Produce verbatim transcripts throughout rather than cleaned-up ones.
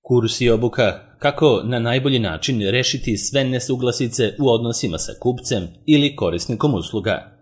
Kurs i obuka kako na najbolji način rešiti sve nesuglasice u odnosima sa kupcem ili korisnikom usluga.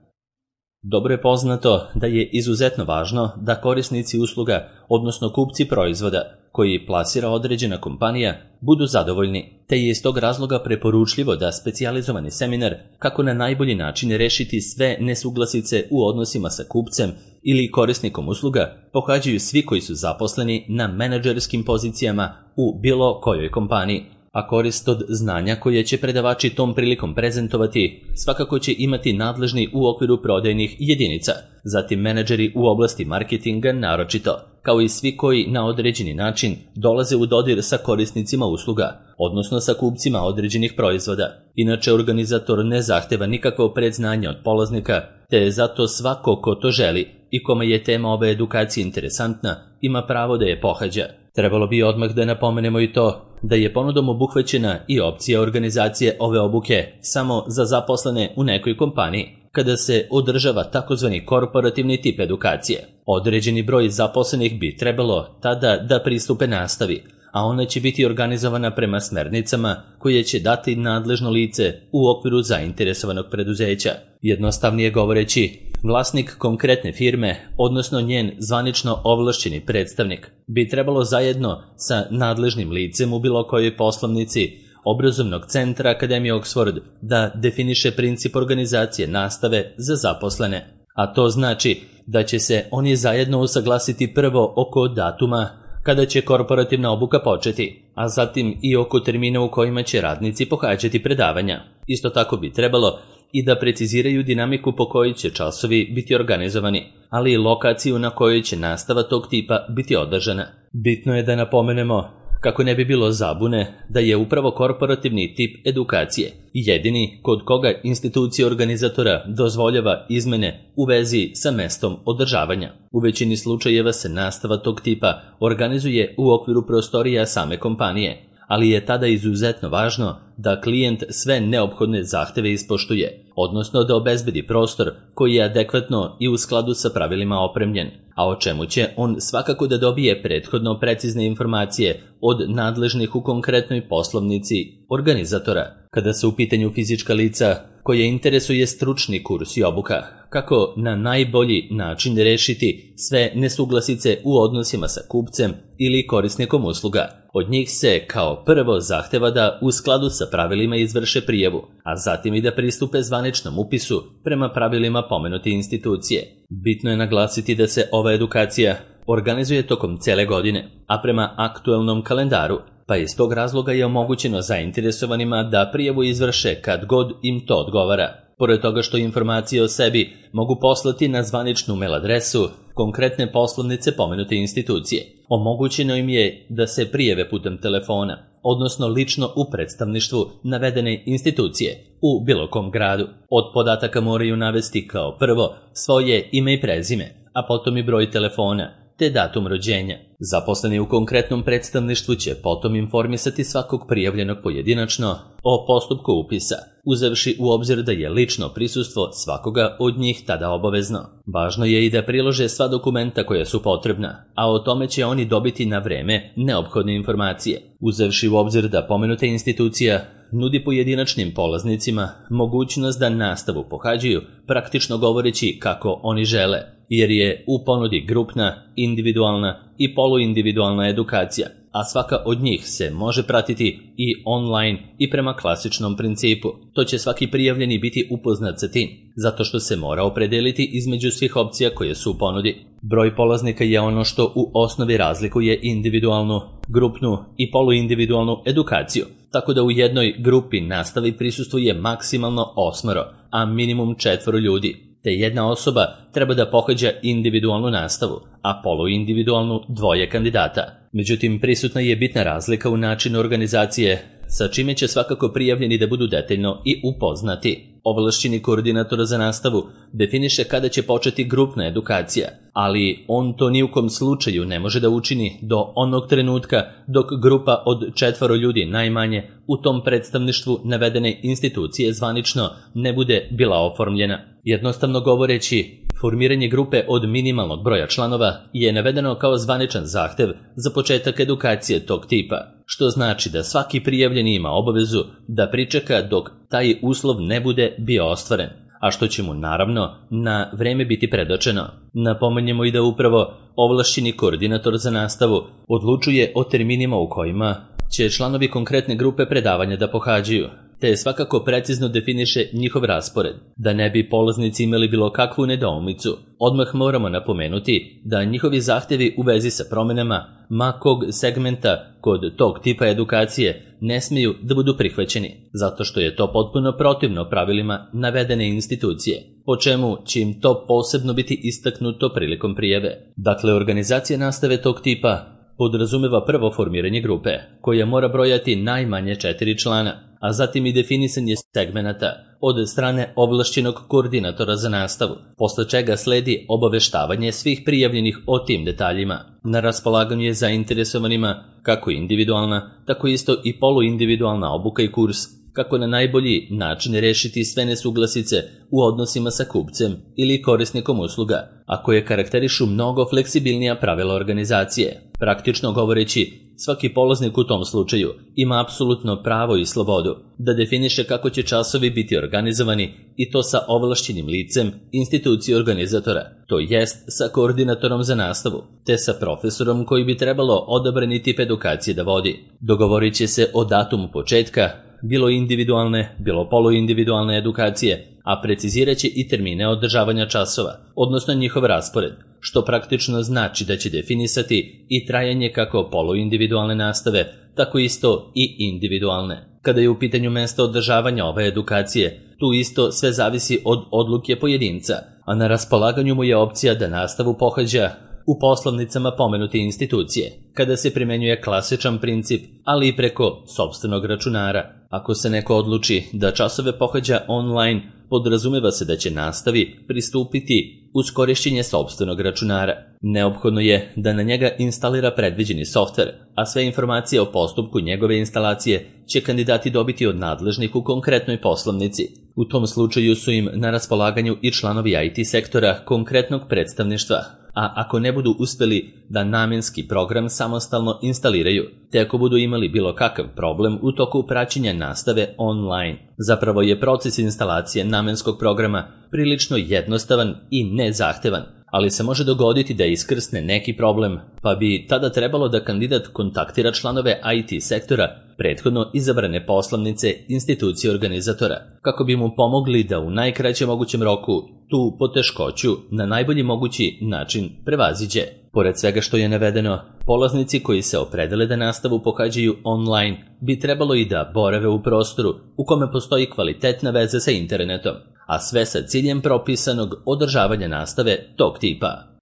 Dobro je poznato da je izuzetno važno da korisnici usluga, odnosno kupci proizvoda koji plasira određena kompanija, budu zadovoljni, te je iz tog razloga preporučljivo da specijalizovani seminar kako na najbolji način rešiti sve nesuglasice u odnosima sa kupcem ili korisnikom usluga pohađaju svi koji su zaposleni na menadžerskim pozicijama u bilo kojoj kompaniji, a korist od znanja koje će predavači tom prilikom prezentovati svakako će imati nadležni u okviru prodajnih jedinica, zatim menadžeri u oblasti marketinga naročito, kao i svi koji na određeni način dolaze u dodir sa korisnicima usluga, odnosno sa kupcima određenih proizvoda. Inače, organizator ne zahteva nikakvo predznanje od polaznika, te je zato svako ko to želi i kome je tema ove edukacije interesantna, ima pravo da je pohađa. Trebalo bi odmah da napomenemo i to da je ponudom obuhvaćena i opcija organizacije ove obuke samo za zaposlene u nekoj kompaniji, kada se održava takozvani korporativni tip edukacije. Određeni broj zaposlenih bi trebalo tada da pristupe nastavi, a ona će biti organizovana prema smernicama koje će dati nadležno lice u okviru zainteresovanog preduzeća. Jednostavnije govoreći, vlasnik konkretne firme, odnosno njen zvanično ovlašćeni predstavnik, bi trebalo zajedno sa nadležnim licem u bilo kojoj poslovnici obrazovnog centra Akademije Oxford da definiše princip organizacije nastave za zaposlene. A to znači da će se oni zajedno usaglasiti prvo oko datuma kada će korporativna obuka početi, a zatim i oko termina u kojima će radnici pohađati predavanja. Isto tako bi trebalo i da preciziraju dinamiku po kojoj će časovi biti organizovani, ali i lokaciju na kojoj će nastava tog tipa biti održana. Bitno je da napomenemo, kako ne bi bilo zabune, da je upravo korporativni tip edukacije jedini kod koga institucija organizatora dozvoljava izmene u vezi sa mestom održavanja. U većini slučajeva se nastava tog tipa organizuje u okviru prostorija same kompanije, ali je tada izuzetno važno da klijent sve neophodne zahteve ispoštuje, odnosno da obezbedi prostor koji je adekvatno i u skladu sa pravilima opremljen, a o čemu će on svakako da dobije prethodno precizne informacije od nadležnih u konkretnoj poslovnici organizatora. Kada su u pitanju fizička lica koje interesuje stručni kurs i obuka, kako na najbolji način rešiti sve nesuglasice u odnosima sa kupcem ili korisnikom usluga. Od njih se kao prvo zahteva da u skladu sa pravilima izvrše prijavu, a zatim i da pristupe zvaničnom upisu prema pravilima pomenute institucije. Bitno je naglasiti da se ova edukacija organizuje tokom cele godine, a prema aktuelnom kalendaru, pa iz tog razloga je omogućeno zainteresovanima da prijavu izvrše kad god im to odgovara. Pored toga što informacije o sebi mogu poslati na zvaničnu mail adresu konkretne poslovnice pomenute institucije, omogućeno im je da se prijave putem telefona, odnosno lično u predstavništvu navedene institucije u bilo kom gradu. Od podataka moraju navesti kao prvo svoje ime i prezime, a potom i broj telefona, te datum rođenja. Zaposleni u konkretnom predstavništvu će potom informisati svakog prijavljenog pojedinačno o postupku upisa, uzevši u obzir da je lično prisustvo svakoga od njih tada obavezno. Važno je i da prilože sva dokumenta koja su potrebna, a o tome će oni dobiti na vreme neophodne informacije, uzevši u obzir da pomenuta institucija nudi pojedinačnim polaznicima mogućnost da nastavu pohađaju praktično govoreći kako oni žele, jer je u ponudi grupna, individualna i poluindividualna edukacija, a svaka od njih se može pratiti i online i prema klasičnom principu. To će svaki prijavljeni biti upoznat sa tim, zato što se mora opredeliti između svih opcija koje su u ponudi. Broj polaznika je ono što u osnovi razlikuje individualnu, grupnu i poluindividualnu edukaciju, tako da u jednoj grupi nastavi prisustvuje maksimalno osmoro, a minimum četvoro ljudi, te jedna osoba treba da pohađa individualnu nastavu, a poluindividualnu dvoje kandidata. Međutim, prisutna je bitna razlika u načinu organizacije, sa čime će svakako prijavljeni da budu detaljno i upoznati. Ovlašćeni koordinator za nastavu definiše kada će početi grupna edukacija, ali on to ni u kom slučaju ne može da učini do onog trenutka dok grupa od četvoro ljudi najmanje u tom predstavništvu navedene institucije zvanično ne bude bila oformljena. Jednostavno govoreći, formiranje grupe od minimalnog broja članova je navedeno kao zvaničan zahtev za početak edukacije tog tipa. što znači da svaki prijavljeni ima obavezu da pričeka dok taj uslov ne bude bio ostvaren, a što će mu naravno na vreme biti predočeno. Napomenjemo i da upravo ovlašćeni koordinator za nastavu odlučuje o terminima u kojima će članovi konkretne grupe predavanja da pohađaju, te svakako precizno definiše njihov raspored. Da ne bi polaznici imali bilo kakvu nedoumicu, odmah moramo napomenuti da njihovi zahtevi u vezi sa promenama ma kog segmenta kod tog tipa edukacije ne smiju da budu prihvaćeni, zato što je to potpuno protivno pravilima navedene institucije, po čemu će im to posebno biti istaknuto prilikom prijave. Dakle, organizacija nastave tog tipa podrazumeva prvo formiranje grupe, koja mora brojati najmanje četiri člana, a zatim i definisanje segmenata od strane ovlašćenog koordinatora za nastavu, posle čega sledi obaveštavanje svih prijavljenih o tim detaljima. Na raspolaganju je zainteresovanima kako individualna, tako isto i poluindividualna obuka i kurs, kako na najbolji način rešiti sve nesuglasice u odnosima sa kupcem ili korisnikom usluga, a koje karakterišu mnogo fleksibilnija pravila organizacije. Praktično govoreći, svaki polaznik u tom slučaju ima apsolutno pravo i slobodu da definiše kako će časovi biti organizovani, i to sa ovlašćenim licem institucije organizatora, to jest sa koordinatorom za nastavu, te sa profesorom koji bi trebalo odabrani tip edukacije da vodi. Dogovorit će se o datumu početka, bilo individualne, bilo poluindividualne edukacije, a precizirat će i termine održavanja časova, odnosno njihov raspored, što praktično znači da će definisati i trajanje kako poluindividualne nastave, tako isto i individualne. Kada je u pitanju mesta održavanja ove edukacije, tu isto sve zavisi od odluke pojedinca, a na raspolaganju mu je opcija da nastavu pohađa u poslovnicama pomenute institucije, kada se primenjuje klasičan princip, ali i preko sopstvenog računara. Ako se neko odluči da časove pohađa online, podrazumeva se da će nastavi pristupiti uz korišćenje sopstvenog računara. Neophodno je da na njega instalira predviđeni softver, a sve informacije o postupku njegove instalacije će kandidati dobiti od nadležnih u konkretnoj poslovnici. U tom slučaju su im na raspolaganju i članovi I T sektora konkretnog predstavništva, a ako ne budu uspeli da namenski program samostalno instaliraju, te ako budu imali bilo kakav problem u toku praćenja nastave online. Zapravo je proces instalacije namenskog programa prilično jednostavan i nezahtevan, ali se može dogoditi da iskrsne neki problem, pa bi tada trebalo da kandidat kontaktira članove I T sektora prethodno izabrane poslovnice institucije organizatora, kako bi mu pomogli da u najkraćem mogućem roku tu poteškoću na najbolji mogući način prevaziđe. Pored svega što je navedeno, polaznici koji se opredele da nastavu pohađaju online bi trebalo i da borave u prostoru u kome postoji kvalitetna veza sa internetom, a sve sa ciljem propisanog održavanja nastave tog tipa.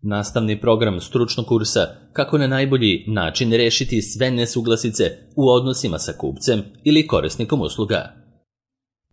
Nastavni program stručnog kursa kako na najbolji način rešiti sve nesuglasice u odnosima sa kupcem ili korisnikom usluga.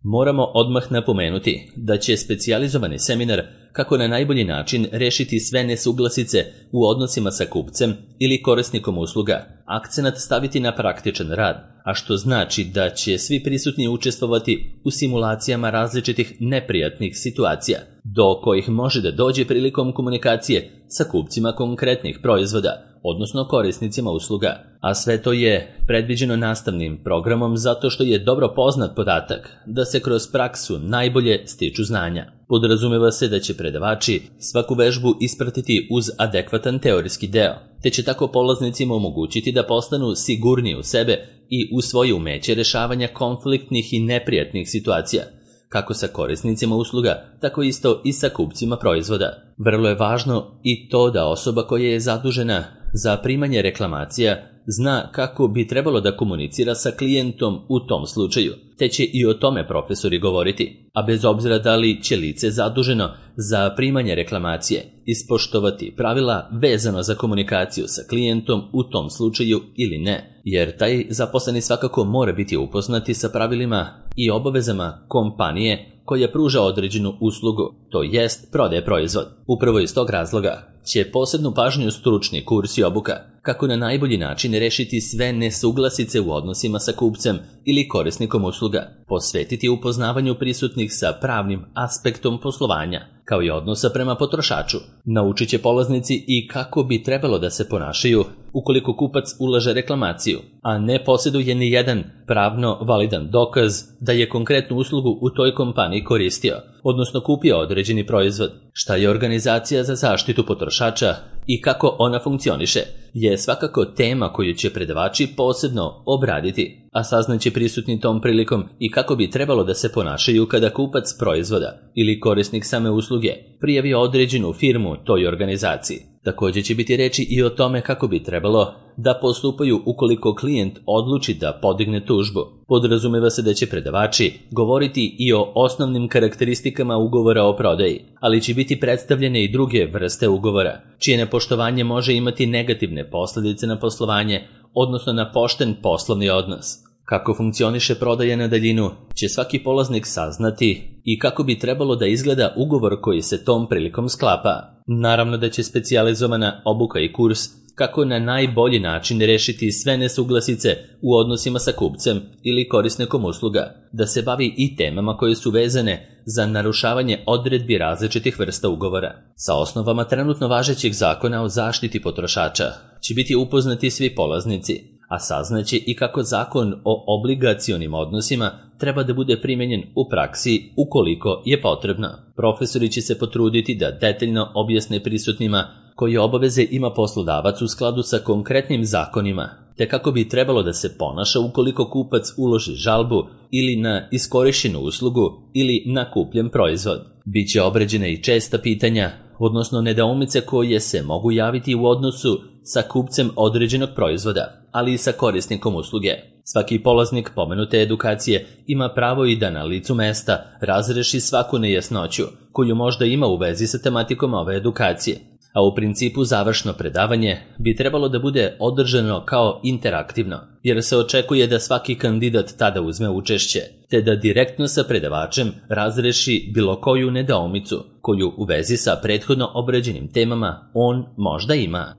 Moramo odmah napomenuti da će specijalizovani seminar kako na najbolji način rešiti sve nesuglasice u odnosima sa kupcem ili korisnikom usluga akcenat staviti na praktičan rad, a što znači da će svi prisutni učestvovati u simulacijama različitih neprijatnih situacija, do kojih može da dođe prilikom komunikacije sa kupcima konkretnih proizvoda, odnosno korisnicima usluga, a sve to je predviđeno nastavnim programom zato što je dobro poznat podatak da se kroz praksu najbolje stiču znanja. Podrazumeva se da će predavači svaku vežbu ispratiti uz adekvatan teorijski deo, te će tako polaznicima omogućiti da postanu sigurniji u sebe i u svoje umeće rešavanja konfliktnih i neprijatnih situacija, kako sa korisnicima usluga, tako isto i sa kupcima proizvoda. Vrlo je važno i to da osoba koja je zadužena za primanje reklamacija zna kako bi trebalo da komunicira sa klijentom u tom slučaju, te će i o tome profesori govoriti, a bez obzira da li će lice zaduženo za primanje reklamacije ispoštovati pravila vezano za komunikaciju sa klijentom u tom slučaju ili ne, jer taj zaposleni svakako mora biti upoznati sa pravilima i obavezama kompanije koja pruža određenu uslugu, to jest prodaje proizvod. Upravo iz tog razloga će posebnu pažnju stručni kurs i obuka kako na najbolji način rešiti sve nesuglasice u odnosima sa kupcem ili korisnikom usluga, posvetiti upoznavanju prisutnih sa pravnim aspektom poslovanja, kao i odnosa prema potrošaču. Naučit će polaznici i kako bi trebalo da se ponašaju ukoliko kupac ulaže reklamaciju, a ne posjeduje ni jedan pravno validan dokaz da je konkretnu uslugu u toj kompaniji koristio, odnosno kupio određeni proizvod. Šta je organizacija za zaštitu potrošača i kako ona funkcioniše je svakako tema koju će predavači posebno obraditi, a saznaće prisutni tom prilikom i kako bi trebalo da se ponašaju kada kupac proizvoda ili korisnik same usluge prijavi određenu firmu toj organizaciji. Također će biti reči i o tome kako bi trebalo da postupaju ukoliko klijent odluči da podigne tužbu. Podrazumeva se da će predavači govoriti i o osnovnim karakteristikama ugovora o prodaji, ali će biti predstavljene i druge vrste ugovora, čije nepoštovanje može imati negativne posljedice na poslovanje, odnosno na pošten poslovni odnos. Kako funkcioniše prodaja na daljinu će svaki polaznik saznati i kako bi trebalo da izgleda ugovor koji se tom prilikom sklapa. Naravno da će specijalizovana obuka i kurs kako na najbolji način rešiti sve nesuglasice u odnosima sa kupcem ili korisnikom usluga, da se bavi i temama koje su vezane za narušavanje odredbi različitih vrsta ugovora. Sa osnovama trenutno važećeg zakona o zaštiti potrošača će biti upoznati svi polaznici, a saznaće i kako zakon o obligacionim odnosima treba da bude primenjen u praksi ukoliko je potrebno. Profesori će se potruditi da detaljno objasne prisutnima koje obaveze ima poslodavac u skladu sa konkretnim zakonima, te kako bi trebalo da se ponaša ukoliko kupac uloži žalbu ili na iskorišćenu uslugu ili na kupljen proizvod. Biće obrađene i česta pitanja, odnosno nedoumice koje se mogu javiti u odnosu sa kupcem određenog proizvoda, ali i sa korisnikom usluge. Svaki polaznik pomenute edukacije ima pravo i da na licu mesta razreši svaku nejasnoću koju možda ima u vezi sa tematikom ove edukacije, a u principu završno predavanje bi trebalo da bude održano kao interaktivno, jer se očekuje da svaki kandidat tada uzme učešće, te da direktno sa predavačem razreši bilo koju nedoumicu koju u vezi sa prethodno obrađenim temama on možda ima.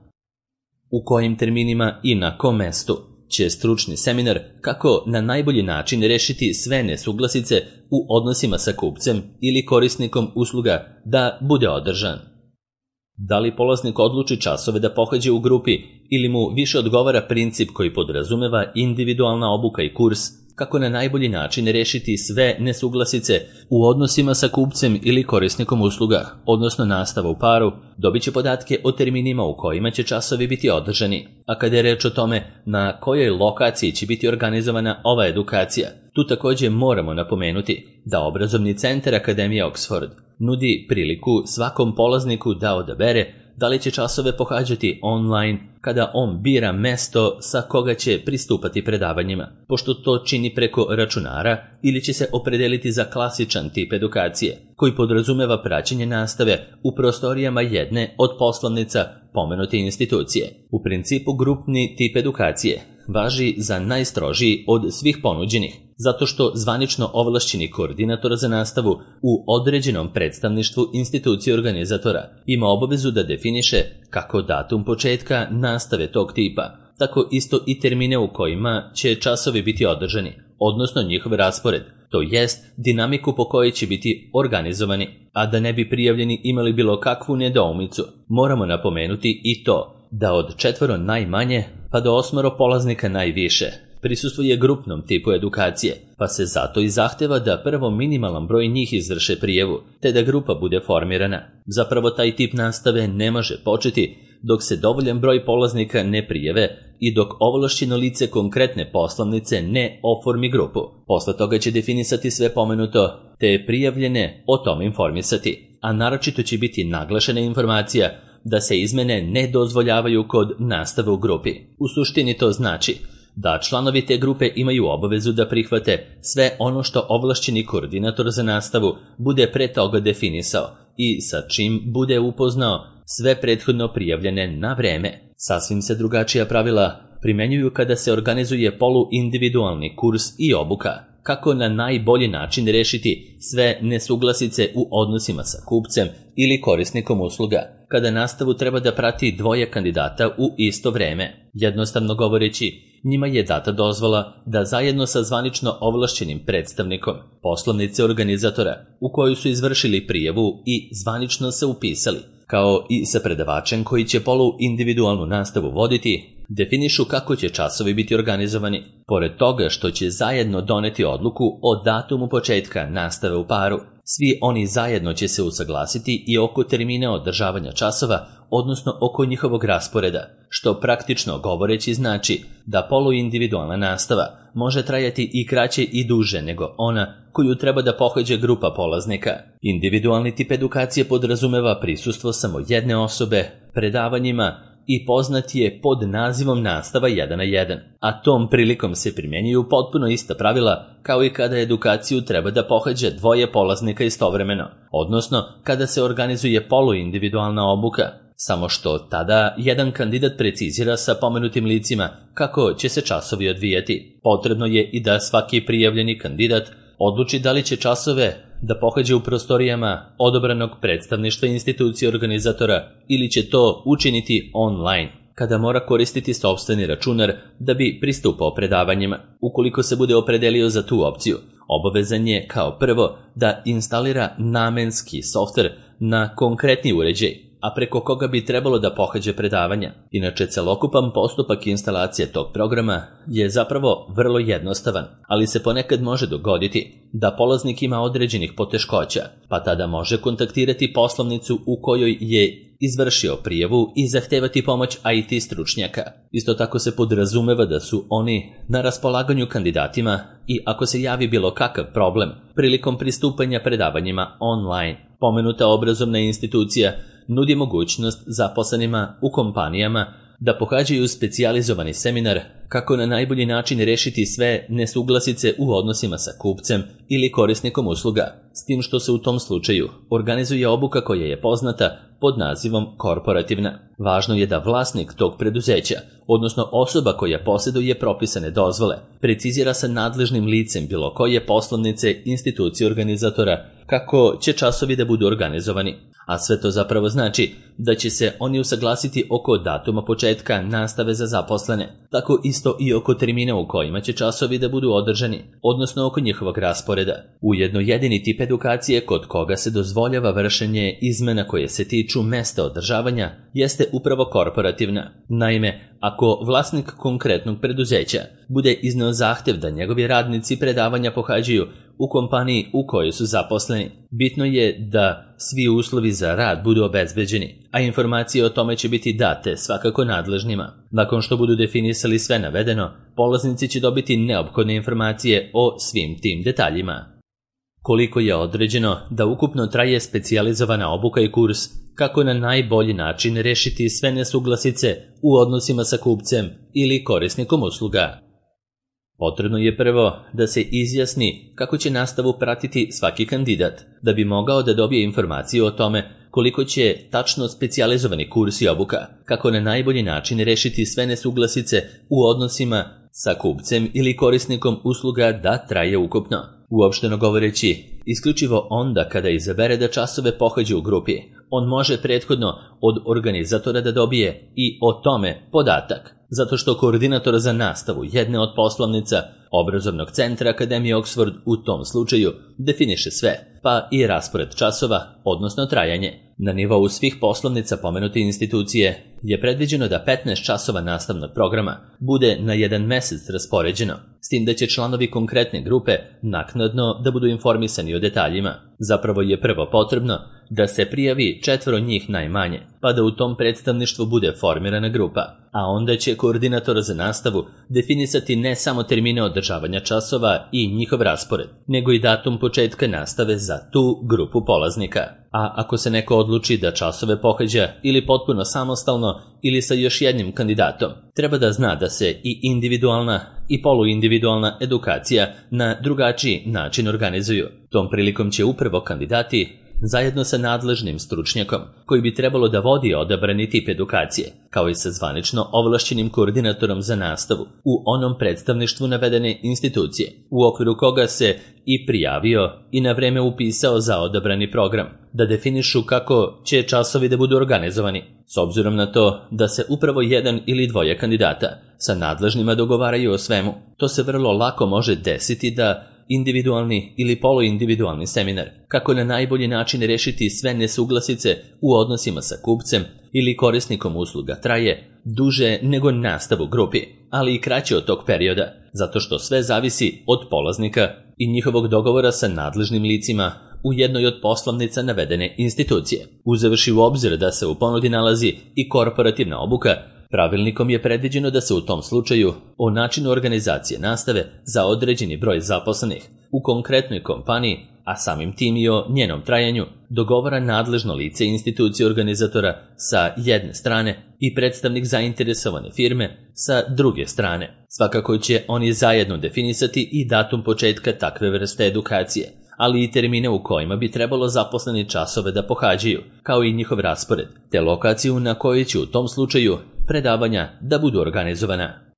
U kojim terminima i na kom mestu će stručni seminar kako na najbolji način rešiti sve nesuglasice u odnosima sa kupcem ili korisnikom usluga da bude održan. Da li polaznik odluči časove da pohađa u grupi ili mu više odgovara princip koji podrazumeva individualna obuka i kurs kako na najbolji način rešiti sve nesuglasice u odnosima sa kupcem ili korisnikom usluga, odnosno nastava u paru, dobit će podatke o terminima u kojima će časovi biti održani. A kada je reč o tome na kojoj lokaciji će biti organizovana ova edukacija, tu također moramo napomenuti da obrazovni centar Akademije Oxford nudi priliku svakom polazniku da odabere da li će časove pohađati online kada on bira mesto sa koga će pristupati predavanjima, pošto to čini preko računara, ili će se opredeliti za klasičan tip edukacije, koji podrazumeva praćenje nastave u prostorijama jedne od poslovnica pomenute institucije. U principu grupni tip edukacije važi za najstrožiji od svih ponuđenih, zato što zvanično ovlašćeni koordinator za nastavu u određenom predstavništvu institucije organizatora ima obavezu da definiše kako datum početka nastave tog tipa, tako isto i termine u kojima će časovi biti održani, odnosno njihov raspored, to jest dinamiku po kojoj će biti organizovani, a da ne bi prijavljeni imali bilo kakvu nedoumicu. Moramo napomenuti i to da od četvoro najmanje pa do osmoro polaznika najviše prisustvuje grupnom tipu edukacije, pa se zato i zahteva da prvo minimalan broj njih izvrše prijavu, te da grupa bude formirana. Zapravo taj tip nastave ne može početi dok se dovoljan broj polaznika ne prijave i dok ovlašćeno lice konkretne poslovnice ne oformi grupu. Posle toga će definisati sve pomenuto, te prijavljene o tom informisati, a naročito će biti naglašena informacija da se izmene ne dozvoljavaju kod nastave u grupi. U suštini to znači da članovi te grupe imaju obavezu da prihvate sve ono što ovlašćeni koordinator za nastavu bude pre toga definisao i sa čim bude upoznao sve prethodno prijavljene na vreme. Sasvim se drugačija pravila primenjuju kada se organizuje poluindividualni kurs i obuka, kako na najbolji način rešiti sve nesuglasice u odnosima sa kupcem ili korisnikom usluga, kada nastavu treba da prati dvoje kandidata u isto vreme. Jednostavno govoreći, njima je data dozvola da zajedno sa zvanično ovlašćenim predstavnikom poslovnice organizatora u koju su izvršili prijavu i zvanično se upisali, kao i sa predavačem koji će polu individualnu nastavu voditi, definišu kako će časovi biti organizovani. Pored toga što će zajedno doneti odluku o datumu početka nastave u paru, svi oni zajedno će se usaglasiti i oko termina održavanja časova, odnosno oko njihovog rasporeda, što praktično govoreći znači da poluindividualna nastava može trajati i kraće i duže nego ona koju treba da pohađa grupa polaznika. Individualni tip edukacije podrazumeva prisustvo samo jedne osobe, predavanjima i poznat je pod nazivom nastava jedan na jedan, a tom prilikom se primjenjuju potpuno ista pravila kao i kada edukaciju treba da pohađa dvoje polaznika istovremeno, odnosno kada se organizuje poluindividualna obuka, samo što tada jedan kandidat precizira sa pomenutim licima kako će se časovi odvijati. Potrebno je i da svaki prijavljeni kandidat odluči da li će časove da pohađa u prostorijama odobranog predstavništva institucije organizatora ili će to učiniti online, kada mora koristiti sopstveni računar da bi pristupao predavanjima. Ukoliko se bude opredelio za tu opciju, obavezan je kao prvo da instalira namenski softver na konkretni uređaj, a preko koga bi trebalo da pohađa predavanja. Inače, celokupan postupak instalacije tog programa je zapravo vrlo jednostavan, ali se ponekad može dogoditi da polaznik ima određenih poteškoća, pa tada može kontaktirati poslovnicu u kojoj je izvršio prijavu i zahtevati pomoć I T stručnjaka. Isto tako se podrazumeva da su oni na raspolaganju kandidatima i ako se javi bilo kakav problem prilikom pristupanja predavanjima online. Pomenuta obrazovna institucija nudi mogućnost zaposlenima u kompanijama da pohađaju specijalizovani seminar kako na najbolji način rešiti sve nesuglasice u odnosima sa kupcem ili korisnikom usluga, s tim što se u tom slučaju organizuje obuka koja je poznata pod nazivom korporativna. Važno je da vlasnik tog preduzeća, odnosno osoba koja posjeduje propisane dozvole, precizira sa nadležnim licem bilo koje poslovnice institucije organizatora kako će časovi da budu organizovani. A sve to zapravo znači da će se oni usaglasiti oko datuma početka nastave za zaposlene, tako isto i oko termina u kojima će časovi da budu održani, odnosno oko njihovog rasporeda. Ujedno jedini tip edukacije kod koga se dozvoljava vršenje izmena koje se tiču mesta održavanja jeste upravo korporativna. Naime, ako vlasnik konkretnog preduzeća bude izneo zahtev da njegovi radnici predavanja pohađaju u kompaniji u kojoj su zaposleni, bitno je da svi uslovi za rad budu obezbeđeni, a informacije o tome će biti date svakako nadležnima. Nakon što budu definisali sve navedeno, polaznici će dobiti neophodne informacije o svim tim detaljima. Koliko je određeno da ukupno traje specijalizovana obuka i kurs, kako na najbolji način rešiti sve nesuglasice u odnosima sa kupcem ili korisnikom usluga. Potrebno je prvo da se izjasni kako će nastavu pratiti svaki kandidat, da bi mogao da dobije informaciju o tome koliko će tačno specijalizovani kurs i obuka, kako na najbolji način rešiti sve nesuglasice u odnosima sa kupcem ili korisnikom usluga da traje ukupno. Uopšteno govoreći, isključivo onda kada izabere da časove pohađa u grupi, on može prethodno od organizatora da dobije i o tome podatak, zato što koordinator za nastavu jedne od poslovnica obrazovnog centra Akademije Oxford u tom slučaju definiše sve, pa i raspored časova, odnosno trajanje. Na nivou svih poslovnica pomenute institucije je predviđeno da petnaest časova nastavnog programa bude na jedan mesec raspoređeno, s tim da će članovi konkretne grupe naknadno da budu informisani o detaljima. Zapravo je prvo potrebno da se prijavi četvoro njih najmanje, pa da u tom predstavništvu bude formirana grupa, a onda će koordinator za nastavu definisati ne samo termine održavanja časova i njihov raspored, nego i datum početka nastave za tu grupu polaznika. A ako se neko odluči da časove pohađa ili potpuno samostalno ili sa još jednim kandidatom, treba da zna da se i individualna i poluindividualna edukacija na drugačiji način organizuju. Tom prilikom će upravo kandidati zajedno sa nadležnim stručnjakom koji bi trebalo da vodi odabrani tip edukacije, kao i sa zvanično ovlašćenim koordinatorom za nastavu u onom predstavništvu navedene institucije, u okviru koga se i prijavio i na vreme upisao za odabrani program, da definišu kako će časovi da budu organizovani. S obzirom na to da se upravo jedan ili dvoje kandidata sa nadležnima dogovaraju o svemu, to se vrlo lako može desiti da individualni ili poluindividualni seminar, kako na najbolji način rešiti sve nesuglasice u odnosima sa kupcem ili korisnikom usluga, traje duže nego nastav u grupi, ali i kraće od tog perioda, zato što sve zavisi od polaznika i njihovog dogovora sa nadležnim licima u jednoj od poslovnica navedene institucije. Uzevši u obzir da se u ponudi nalazi i korporativna obuka, pravilnikom je predviđeno da se u tom slučaju o načinu organizacije nastave za određeni broj zaposlenih u konkretnoj kompaniji, a samim tim i o njenom trajanju, dogovara nadležno lice institucije organizatora sa jedne strane i predstavnik zainteresovane firme sa druge strane. Svakako će oni zajedno definisati i datum početka takve vrste edukacije, ali i termine u kojima bi trebalo zaposleni časove da pohađaju, kao i njihov raspored, te lokaciju na kojoj će u tom slučaju predavanja da budu organizovana.